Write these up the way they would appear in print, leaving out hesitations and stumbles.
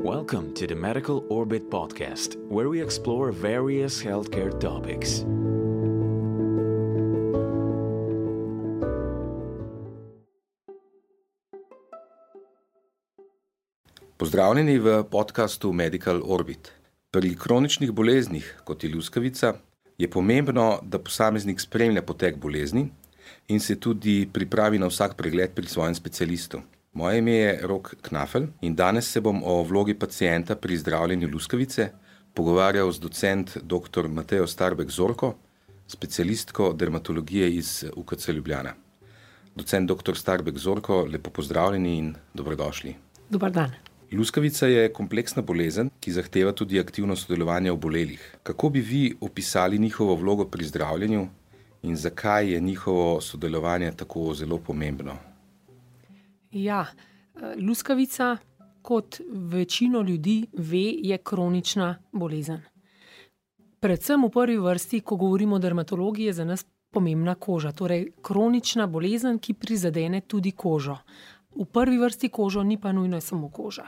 Welcome to the Medical Orbit podcast, where we explore various healthcare topics. Pozdravljeni v podcastu Medical Orbit. Pri kroničnih boleznih, kot je luskavica, je pomembno, da posameznik spremlja potek bolezni in se tudi pripravi na vsak pregled pri svojem specialistu. Moje ime je Rok Knafel in danes se bom o vlogi pacienta pri zdravljenju luskavice pogovarjal z docent dr. Matejo Starbek Zorko, specialistko dermatologije iz UKC Ljubljana. Docent dr. Starbek Zorko, lepo pozdravljeni in dobrodošli. Dobar dan. Luskavica je kompleksna bolezen, ki zahteva tudi aktivno sodelovanje obolelih. Kako bi vi opisali njihovo vlogo pri zdravljenju in zakaj je njihovo sodelovanje tako zelo pomembno? Ja, luskavica, kot večino ljudi ve, je kronična bolezen. Predvsem v prvi vrsti, ko govorimo o dermatologiji, je za nas pomembna koža. Torej, kronična bolezen, ki prizadene tudi kožo. V prvi vrsti kožo, ni pa nujno samo koža.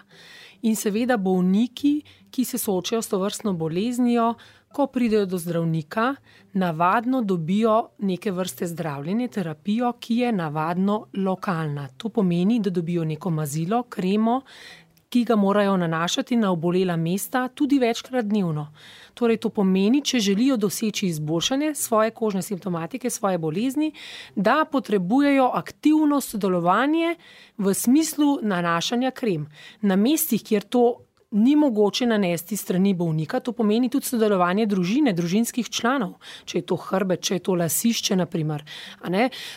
In seveda bolniki, ki se soočajo s tovrstno boleznijo, ko pridejo do zdravnika, navadno dobijo neke vrste zdravljenje, terapijo, ki je navadno lokalna. To pomeni, da dobijo neko mazilo, kremo, ki ga morajo nanašati na obolela mesta tudi večkrat dnevno. Torej, to pomeni, če želijo doseči izboljšanje svoje kožne simptomatike, svoje bolezni, da potrebujejo aktivno sodelovanje v smislu nanašanja krem. Na mestih, kjer to ni mogoče nanesti strani bolnika, to pomeni tudi sodelovanje družine, družinskih članov, če je to hrbet, če je to lasišče, naprimer.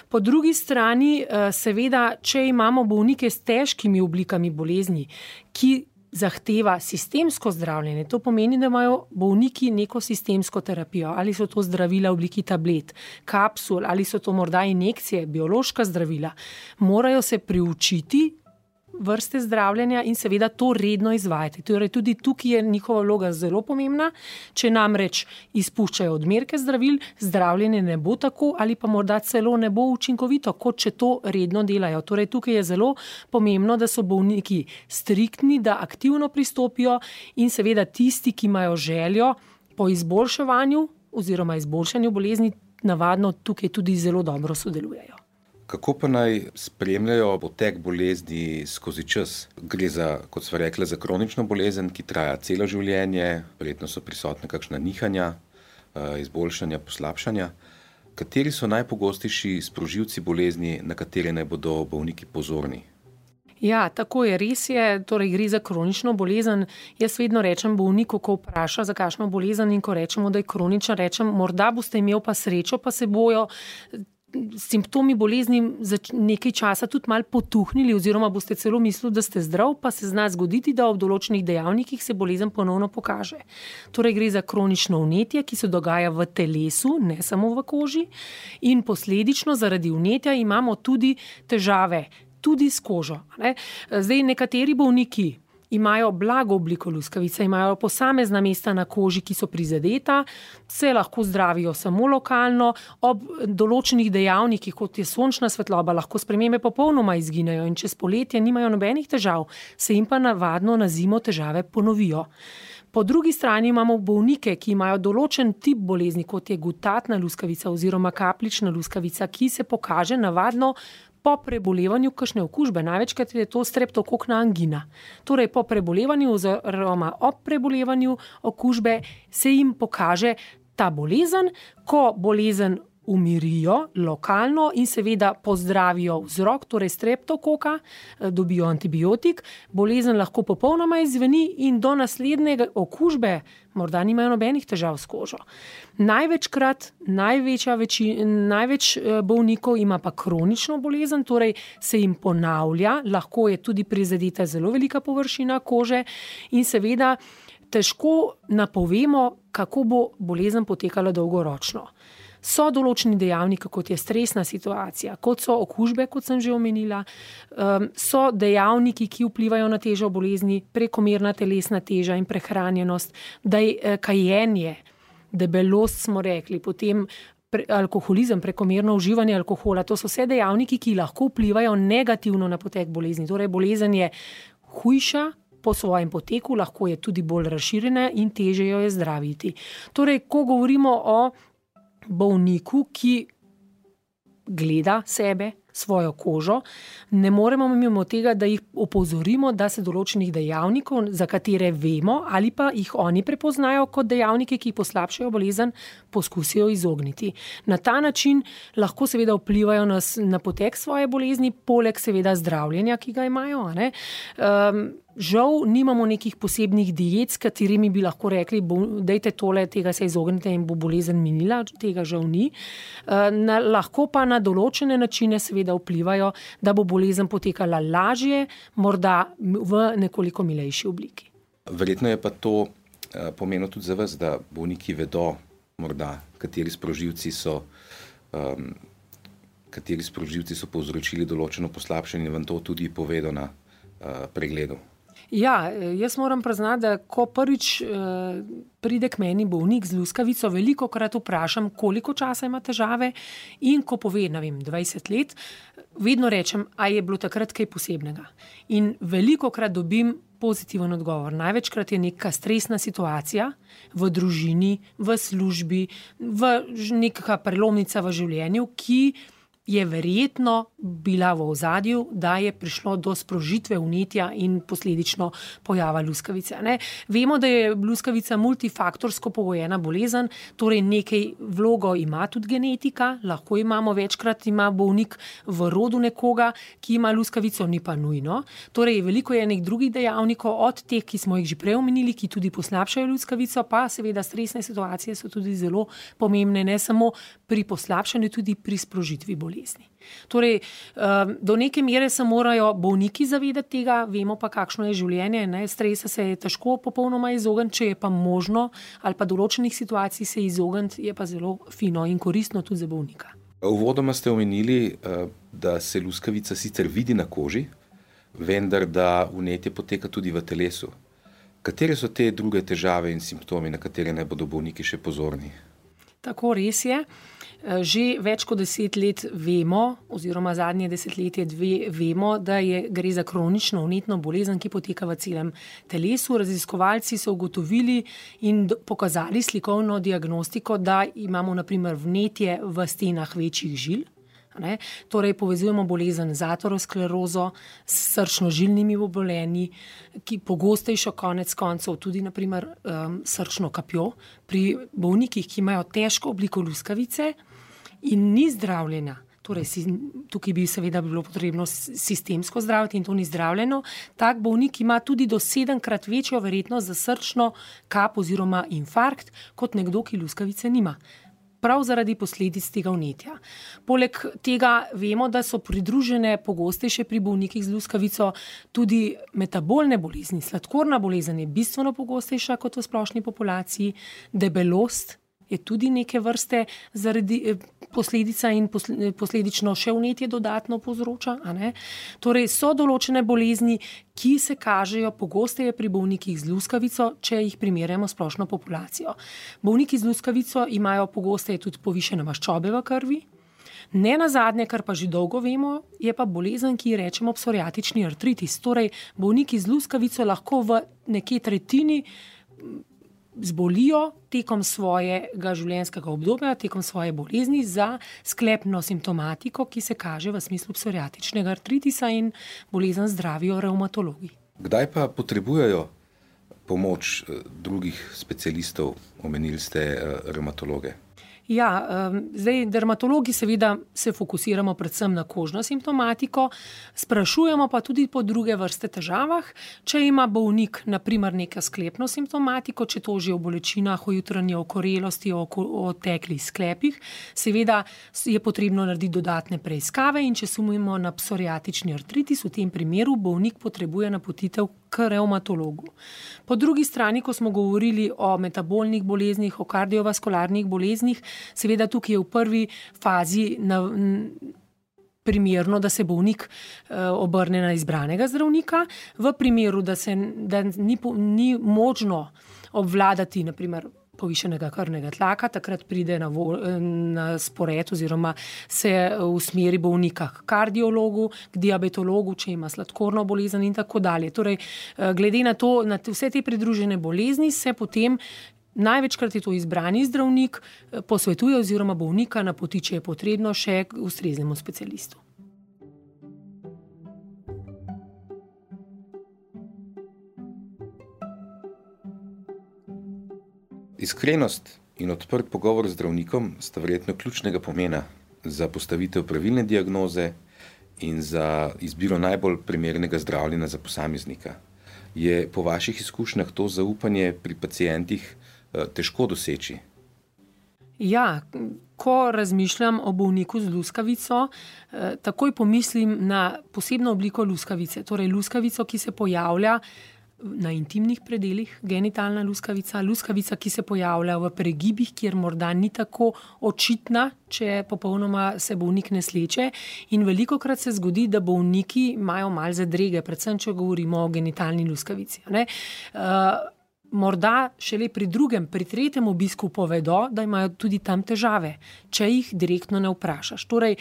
Po drugi strani, seveda, če imamo bolnike s težkimi oblikami bolezni, ki zahteva sistemsko zdravljenje, to pomeni, da imajo bolniki neko sistemsko terapijo, ali so to zdravila v obliki tablet, kapsul, ali so to morda injekcije, biološka zdravila, morajo se priučiti vrste zdravljenja in seveda to redno izvajati. Torej, tudi tukaj je njihova vloga zelo pomembna. Če namreč izpuščajo odmerke zdravil, zdravljenje ne bo tako ali pa morda celo ne bo učinkovito, kot če to redno delajo. Torej, tukaj je zelo pomembno, da so bolniki striktni, da aktivno pristopijo in seveda tisti, ki imajo željo po izboljševanju oziroma izboljšanju bolezni, navadno tukaj tudi zelo dobro sodelujejo. Kako pa naj spremljajo potek bolezni skozi čas? Gre za, kot sva rekla, za kronično bolezen, ki traja celo življenje, verjetno so prisotne kakšna nihanja, izboljšanja, poslabšanja. Kateri so najpogostejši sprožilci bolezni, na katere naj bodo bolniki pozorni? Ja, tako je, res je, torej gre za kronično bolezen. Jaz vedno rečem bolniku, ko vpraša za kakšno bolezen in ko rečemo, da je kronična, rečem, morda boste imeli pa srečo, pa se bojo simptomi bolezni nekaj časa tudi malo potuhnili oziroma boste celo mislili, da ste zdrav, pa se zna zgoditi, da ob določenih dejavnikih se bolezen ponovno pokaže. Torej gre za kronično vnetje, ki se dogaja v telesu, ne samo v koži, in posledično zaradi vnetja imamo tudi težave, tudi s kožo. Zdaj, nekateri bolniki imajo blago obliko luskavice, imajo posamezna mesta na koži, ki so prizadeta, se lahko zdravijo samo lokalno, ob določenih dejavnikih, kot je sončna svetloba, lahko spremembe popolnoma izginejo in čez poletje nimajo nobenih težav, se jim pa navadno na zimo težave ponovijo. Po drugi strani imamo bolnike, ki imajo določen tip bolezni, kot je gutatna luskavica oziroma kapljična luskavica, ki se pokaže navadno po prebolevanju kakšne okužbe, največkrat je to streptokokna angina. Torej, po prebolevanju oziroma ob prebolevanju okužbe se jim pokaže ta bolezen, ko bolezen umirijo lokalno in seveda pozdravijo vzrok, torej streptokoka, dobijo antibiotik, bolezen lahko popolnoma izveni in do naslednje okužbe morda nimajo nobenih težav s kožo. Največkrat, največ bolnikov ima pa kronično bolezen, torej se jim ponavlja, lahko je tudi prizadeta zelo velika površina kože in seveda težko napovemo, kako bo bolezen potekala dolgoročno. So določeni dejavniki, kot je stresna situacija, kot so okužbe, kot sem že omenila, so dejavniki, ki vplivajo na težo bolezni, prekomerna telesna teža in prehranjenost, kajenje, debelost smo rekli, potem alkoholizem, prekomerno uživanje alkohola, to so vse dejavniki, ki lahko vplivajo negativno na potek bolezni. Torej, bolezen je hujša, po svojem poteku, lahko je tudi bolj razširjena in težje jo je zdraviti. Torej, ko govorimo o bolniku, ki gleda sebe, svojo kožo, ne moremo mimo tega, da jih opozorimo, da se določenih dejavnikov, za katere vemo ali pa jih oni prepoznajo kot dejavnike, ki poslabšajo bolezen, poskusijo izogniti. Na ta način lahko seveda vplivajo na potek svoje bolezni, poleg seveda zdravljenja, ki ga imajo. Žal nimamo nekih posebnih diet, s katerimi bi lahko rekli, dajte tole, tega se izognite in bo bolezen minila, tega žal ni. Lahko pa na določene načine seveda vplivajo, da bo bolezen potekala lažje, morda v nekoliko milejši obliki. Verjetno je pa to pomenilo tudi za vas, da bolniki vedo morda, kateri sprožilci so povzročili določeno poslabšanje, vam to tudi povedo na pregledu. Ja, jaz moram priznati, da ko prvič pride k meni bolnik z luskavico, velikokrat vprašam, koliko časa ima težave, in ko pove, 20 let, vedno rečem, a je bilo takrat kaj posebnega. In velikokrat dobim pozitiven odgovor. Največkrat je neka stresna situacija v družini, v službi, neka prelomnica v življenju, ki je verjetno bila v ozadju, da je prišlo do sprožitve vnetja in posledično pojava luskavice. Vemo, da je luskavica multifaktorsko pogojena bolezen, torej nekaj vlogo ima tudi genetika, lahko večkrat ima bolnik v rodu nekoga, ki ima luskavico, ni pa nujno. Torej, veliko je nekih drugih dejavnikov, od teh, ki smo jih že prej omenili, ki tudi poslabšajo luskavico, pa seveda stresne situacije so tudi zelo pomembne, ne samo pri poslabšanju, tudi pri sprožitvi bolezni. Torej, do neke mere se morajo bolniki zavedati tega, vemo pa, kakšno je življenje. Stresa se je težko popolnoma izogniti, če je pa možno, ali pa določenih situacij se izogniti, je pa zelo fino in koristno tudi za bolnika. Uvodoma ste omenili, da se luskavica sicer vidi na koži, vendar da vnetje poteka tudi v telesu. Katere so te druge težave in simptomi, na katere naj bodo bolniki še pozorni? Tako, res je. Že več kot 10 let vemo, oziroma zadnje desetletje vemo, da gre za kronično vnetno bolezen, ki poteka v celem telesu. Raziskovalci so ugotovili in pokazali slikovno diagnostiko, da imamo na primer vnetje v stenah večjih žil. Torej, povezujemo bolezen z aterosklerozo, s srčno-žilnimi obolenji, ki pogostejšo konec koncev tudi na primer srčno kapjo. Pri bolnikih, ki imajo težko obliko luskavice in ni zdravljena, torej tukaj bi seveda bilo potrebno sistemsko zdraviti in to ni zdravljeno, tak bolnik ima tudi do 7-krat večjo verjetnost za srčno kap oziroma infarkt kot nekdo, ki luskavice nima. Prav zaradi posledic tega vnetja. Poleg tega vemo, da so pridružene pogostejše pri bolnikih z luskavico tudi metabolne bolezni. Sladkorna bolezen je bistveno pogostejša kot v splošni populaciji, debelost je tudi neke vrste zaradi posledica in posledično še vnetje dodatno povzroča. Torej, so določene bolezni, ki se kažejo pogosteje pri bolnikih z luskavico, če jih primerjamo s splošno populacijo. Bolniki z luskavico imajo pogosteje tudi povišene maščobe v krvi. Ne nazadnje, kar pa že dolgo vemo, je pa bolezen, ki ji rečemo psoriatični artritis. Torej, bolniki z luskavico lahko v nekje tretjini zbolijo tekom svojega življenjskega obdobja, tekom svoje bolezni za sklepno simptomatiko, ki se kaže v smislu psoriatičnega artritisa, in bolezen zdravijo revmatologi. Kdaj pa potrebujejo pomoč drugih specialistov, omenili ste revmatologe? Ja, zdaj dermatologi seveda se fokusiramo predvsem na kožno simptomatiko, sprašujemo pa tudi po druge vrste težavah. Če ima bolnik na primer neko sklepno simptomatiko, če toži o bolečinah, o jutranji okorelosti, o teklih sklepih, seveda je potrebno narediti dodatne preiskave, in če sumimo na psoriatični artritis, v tem primeru bolnik potrebuje napotitev k revmatologu. Po drugi strani, ko smo govorili o metabolnih boleznih, o kardiovaskularnih boleznih, seveda tukaj je v prvi fazi primerno, da se bolnik obrne na izbranega zdravnika. V primeru, da ni možno obvladati na primer povišenega krvnega tlaka, takrat pride na spored oziroma se usmeri bolnika k kardiologu, k diabetologu, če ima sladkorno bolezen in tako dalje. Torej, glede na to, na vse te pridružene bolezni se potem največkrat je to izbrani zdravnik posvetuje oziroma bolnika napoti, če je potrebno, še k ustreznemu specialistu. Iskrenost in odprt pogovor z zdravnikom sta verjetno ključnega pomena za postavitev pravilne diagnoze in za izbiro najbolj primernega zdravljenja za posameznika. Je po vaših izkušnjah to zaupanje pri pacientih težko doseči? Ja, ko razmišljam o bolniku z luskavico, takoj pomislim na posebno obliko luskavice, torej luskavico, ki se pojavlja na intimnih predelih, genitalna luskavica, luskavica, ki se pojavlja v pregibih, kjer morda ni tako očitna, če popolnoma se bolnik ne sleče. In velikokrat se zgodi, da bolniki imajo malo zadrege, predvsem, če govorimo o genitalni luskavici. Morda šele pri drugem, pri tretjem obisku povedo, da imajo tudi tam težave, če jih direktno ne vprašaš. Torej,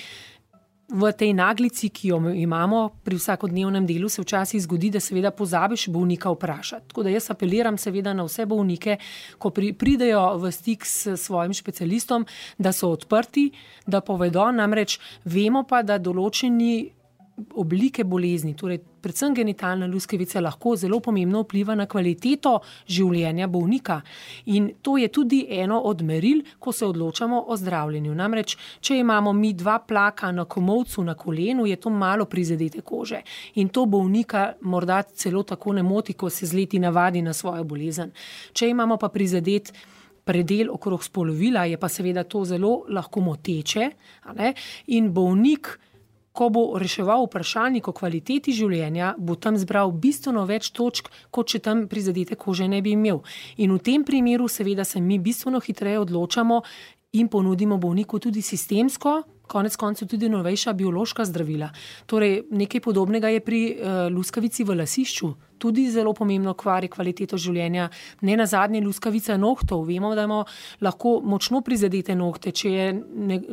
v tej naglici, ki jo imamo pri vsakodnevnem delu, se včasih zgodi, da seveda pozabiš bolnika vprašati. Tako da jaz apeliram seveda na vse bolnike, ko pridejo v stik s svojim specialistom, da so odprti, da povedo, namreč vemo pa, da določeni oblike bolezni, torej predvsem genitalna luskavica, lahko zelo pomembno vpliva na kvaliteto življenja bolnika. In to je tudi eno od meril, ko se odločamo o zdravljenju. Namreč, če imamo mi 2 plaka na komolcu, na kolenu, je to malo prizadete kože. In to bolnika morda celo tako ne moti, ko se z leti navadi na svojo bolezen. Če imamo pa prizadet predel okrog spolovila, je pa seveda to zelo lahko moteče, in bolnik, ko bo reševal vprašalnik o kvaliteti življenja, bo tam zbral bistveno več točk, kot če tam prizadete kože ne bi imel. In v tem primeru seveda se mi bistveno hitreje odločamo in ponudimo bolniku tudi sistemsko, konec koncev tudi novejša biološka zdravila. Torej, nekaj podobnega je pri luskavici v lasišču. Tudi zelo pomembno kvari kvaliteto življenja. Ne nazadnje luskavica nohtov. Vemo, da imamo lahko močno prizadete nohte. Če je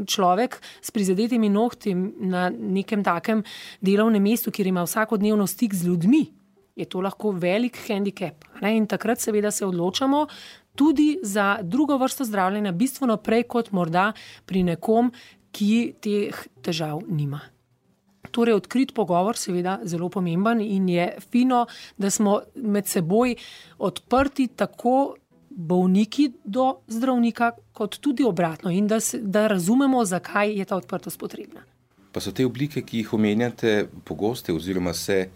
človek s prizadetimi nohti na nekem takem delovnem mestu, kjer ima vsakodnevno stik z ljudmi, je to lahko velik handicap. In takrat seveda se odločamo tudi za drugo vrsto zdravljenja, bistveno prej kot morda pri nekom, ki teh težav nima. Torej, odkrit pogovor seveda zelo pomemben in je fino, da smo med seboj odprti tako bolniki do zdravnika, kot tudi obratno in da razumemo, zakaj je ta odprtost potrebna. Pa so te oblike, ki jih omenjate, pogoste oziroma se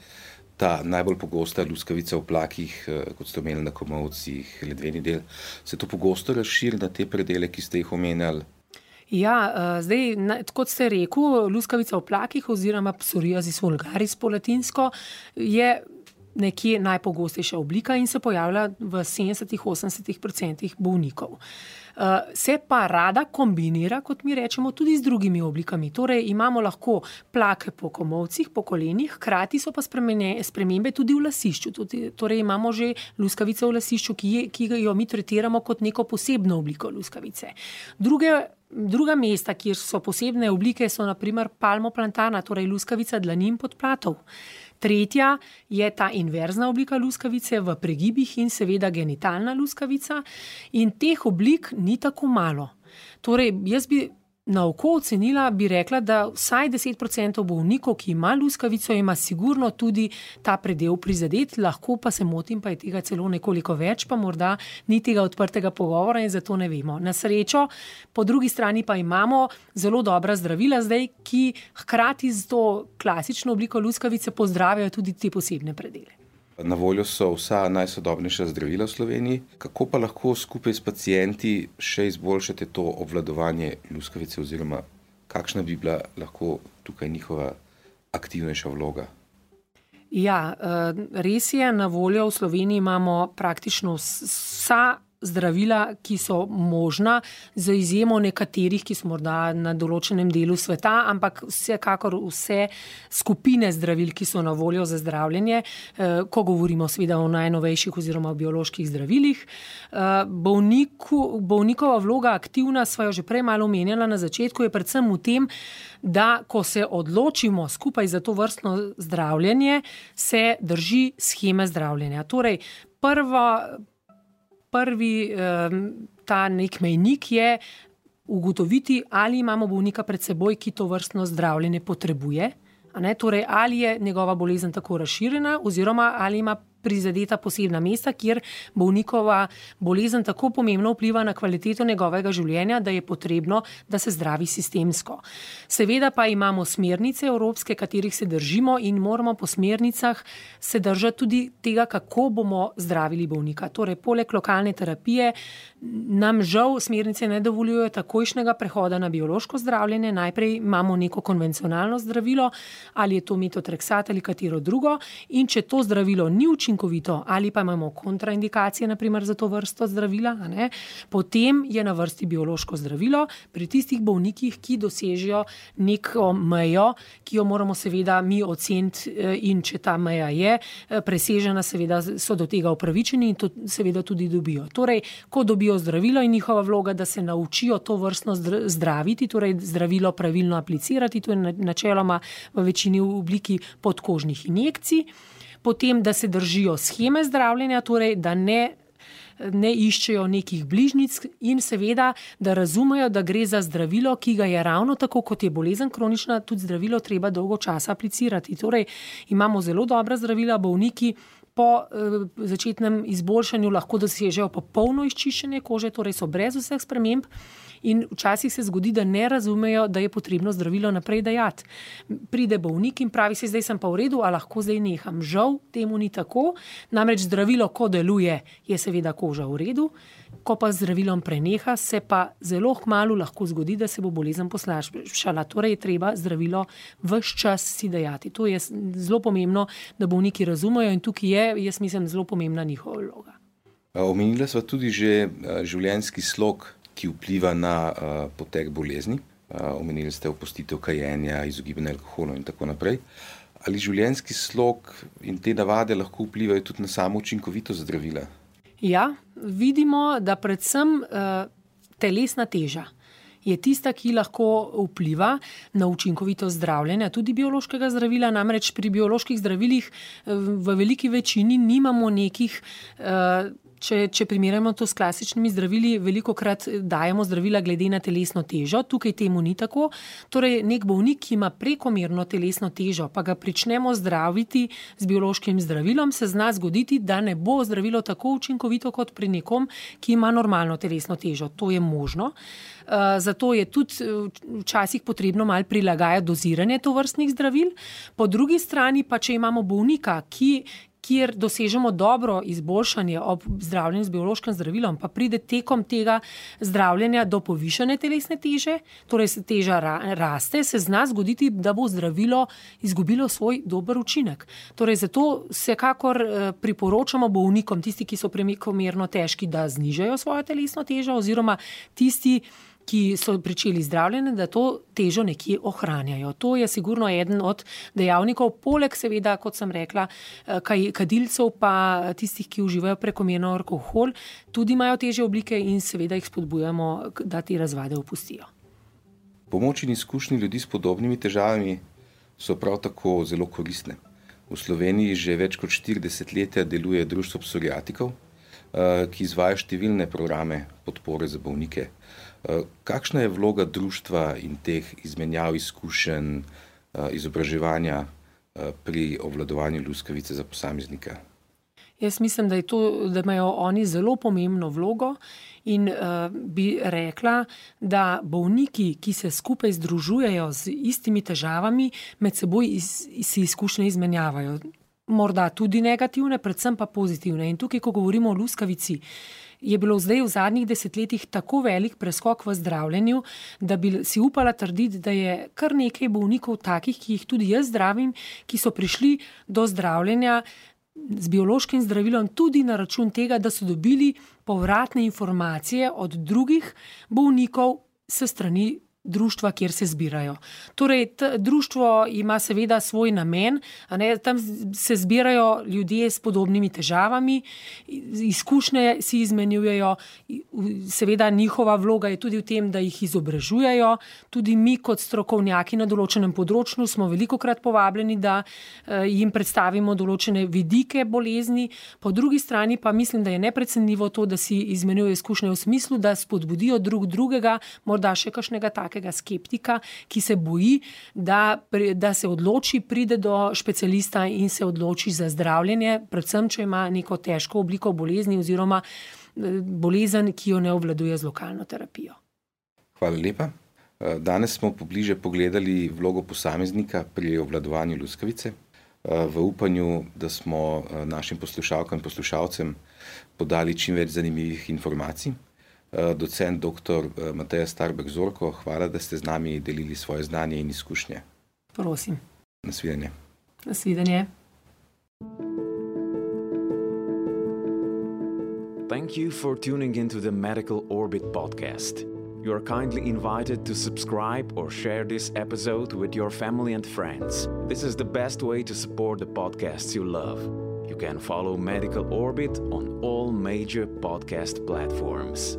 ta najbolj pogosta luskavica v plakih, kot ste omenili na komolcih, ledveni del, se to pogosto razširi na te predele, ki ste jih omenjali? Ja, zdaj, kot ste rekel, luskavica v plakih oziroma psoriasis vulgaris po latinsko je nekje najpogostejša oblika in se pojavlja v 70-80% bolnikov. Se pa rada kombinira, kot mi rečemo, tudi z drugimi oblikami. Torej, imamo lahko plake po komolcih, po kolenih, hkrati so pa spremembe tudi v lasišču. Torej, imamo že luskavico v lasišču, ki jo mi tretiramo kot neko posebno obliko luskavice. Druga mesta, kjer so posebne oblike, so na primer palmoplantana, torej luskavica dlanin podplatov. Tretja je ta inverzna oblika luskavice v pregibih in seveda genitalna luskavica. In teh oblik ni tako malo. Torej, jaz bi na oko ocenila, bi rekla, da vsaj 10% bolnikov, ki ima luskavico, ima sigurno tudi ta predel prizadet, lahko pa se motim, pa je tega celo nekoliko več, pa morda ni tega odprtega pogovora in zato ne vemo. Na srečo, po drugi strani pa imamo zelo dobra zdravila zdaj, ki hkrati z to klasično obliko luskavice pozdravijo tudi te posebne predele. Na voljo so vsa najsodobnejša zdravila v Sloveniji. Kako pa lahko skupaj s pacienti še izboljšate to obvladovanje luskavice oziroma kakšna bi bila lahko tukaj njihova aktivnejša vloga? Ja, res je, na voljo v Sloveniji imamo praktično vsa zdravila, ki so možna, za izjemo nekaterih, ki so morda na določenem delu sveta, ampak vsekakor vse skupine zdravil, ki so na voljo za zdravljenje, ko govorimo seveda o najnovejših oziroma o bioloških zdravilih. Bolnikova vloga aktivna, sva jo že prej malo omenjala na začetku, je predvsem v tem, da ko se odločimo skupaj za to vrstno zdravljenje, se drži sheme zdravljenja. Torej, prvi ta nek mejnik je ugotoviti, ali imamo bolnika pred seboj, ki to vrstno zdravljenje potrebuje. Torej, ali je njegova bolezen tako razširjena oziroma ali ima prizadeta posebna mesta, kjer bolnikova bolezen tako pomembno vpliva na kvaliteto njegovega življenja, da je potrebno, da se zdravi sistemsko. Seveda pa imamo smernice evropske, katerih se držimo in moramo po smernicah se držati tudi tega, kako bomo zdravili bolnika. Torej, poleg lokalne terapije nam žal smernice ne dovoljujejo takojšnjega prehoda na biološko zdravljenje. Najprej imamo neko konvencionalno zdravilo, ali je to metotrexat ali katero drugo, in če to zdravilo ni učinkovito ali pa imamo kontraindikacije, naprimer za to vrsto zdravila, potem je na vrsti biološko zdravilo pri tistih bolnikih, ki dosežejo neko mejo, ki jo moramo seveda mi oceniti, in če ta meja je presežena, seveda so do tega upravičeni in to seveda tudi dobijo. Torej, ko dobijo zdravilo, in njihova vloga, da se naučijo to vrstno zdraviti, torej zdravilo pravilno aplicirati, to je načeloma v večini v obliki podkožnih injekcij, potem, da se držijo sheme zdravljenja, torej, da ne iščejo nekih bližnjic in seveda, da razumejo, da gre za zdravilo, ki ga je ravno tako, kot je bolezen kronična, tudi zdravilo treba dolgo časa aplicirati. Torej, imamo zelo dobra zdravila, bolniki po začetnem izboljšanju lahko dosežejo popolno izčiščenje kože, torej so brez vseh sprememb. In včasih se zgodi, da ne razumejo, da je potrebno zdravilo naprej dajati. Pride bolnik in pravi si, zdaj sem pa v redu, a lahko zdaj neham. Žal temu ni tako, namreč zdravilo, ko deluje, je seveda koža v redu, ko pa zdravilom preneha, se pa zelo kmalu lahko zgodi, da se bo bolezen poslabšala. Torej je treba zdravilo ves čas si dajati. To je zelo pomembno, da bolniki razumejo, in tukaj je, jaz mislim, zelo pomembna njihova vloga. Omenila sva tudi že življenjski slog, ki vpliva na potek bolezni. Omenili ste opustitev kajenja, izogibanje alkoholu in tako naprej. Ali življenjski slog in te navade lahko vplivajo tudi na samo učinkovitost zdravila? Ja, vidimo, da predvsem telesna teža je tista, ki lahko vpliva na učinkovitost zdravljenja, tudi biološkega zdravila. Namreč pri bioloških zdravilih v veliki večini nimamo nekih, če primerjamo to s klasičnimi zdravili, velikokrat dajemo zdravila glede na telesno težo, tukaj temu ni tako. Torej, nek bolnik, ki ima prekomerno telesno težo, pa ga pričnemo zdraviti z biološkim zdravilom, se zna zgoditi, da ne bo zdravilo tako učinkovito kot pri nekom, ki ima normalno telesno težo. To je možno. Zato je tudi včasih potrebno malo prilagajati doziranje tovrstnih zdravil. Po drugi strani pa, če imamo bolnika, kjer dosežemo dobro izboljšanje ob zdravljenju z biološkim zdravilom, pa pride tekom tega zdravljenja do povišane telesne teže, torej se teža raste, se zna zgoditi, da bo zdravilo izgubilo svoj dober učinek. Torej, zato vsekakor priporočamo bolnikom, tisti, ki so prekomerno težki, da znižajo svojo telesno težo, oziroma tisti, ki so pričeli zdravljenje, da to težo nekje ohranjajo. To je sigurno eden od dejavnikov, poleg seveda, kot sem rekla, kadilcev pa tistih, ki uživajo prekomerno alkohol, tudi imajo težje oblike in seveda jih spodbujamo, da te razvade opustijo. Pomoč in izkušnje ljudi s podobnimi težavami so prav tako zelo koristne. V Sloveniji že več kot 40 let deluje društvo psoriatikov, ki izvaja številne programe podpore za bolnike. Kakšna je vloga društva in teh izmenjav izkušenj, izobraževanja pri obvladovanju luskavice za posameznika? Jaz mislim, da imajo oni zelo pomembno vlogo in bi rekla, da bolniki, ki se skupaj združujejo z istimi težavami, med seboj si izkušnje izmenjavajo. Morda tudi negativne, predvsem pa pozitivne. In tukaj, ko govorimo o luskavici, je bilo zdaj v zadnjih desetletjih tako velik preskok v zdravljenju, da bi si upala trditi, da je kar nekaj bolnikov takih, ki jih tudi jaz zdravim, ki so prišli do zdravljenja z biološkim zdravilom tudi na račun tega, da so dobili povratne informacije od drugih bolnikov s strani društva, kjer se zbirajo. Torej, društvo ima seveda svoj namen, tam se zbirajo ljudje s podobnimi težavami, izkušnje si izmenjujejo, seveda njihova vloga je tudi v tem, da jih izobražujejo. Tudi mi kot strokovnjaki na določenem področju smo velikokrat povabljeni, da jim predstavimo določene vidike bolezni. Po drugi strani pa mislim, da je neprecenljivo to, da si izmenjujejo izkušnje v smislu, da spodbudijo drug drugega, morda še kakšnega takega skeptika, ki se boji, da se odloči, pride do specialista in se odloči za zdravljenje, predvsem, če ima neko težko obliko bolezni oziroma bolezen, ki jo ne obvladuje z lokalno terapijo. Hvala lepa. Danes smo pobliže pogledali vlogo posameznika pri obvladovanju luskavice, v upanju, da smo našim poslušalkam in poslušalcem podali čim več zanimivih informacij. Docent dr. Mateja Starbek-Zorko, hvala, da ste z nami delili svoje znanje in izkušnje. Prosim. Nasvidenje. Nasvidenje. Thank you for tuning into the Medical Orbit podcast. You are kindly invited to subscribe or share this episode with your family and friends. This is the best way to support the podcasts you love. You can follow Medical Orbit on all major podcast platforms.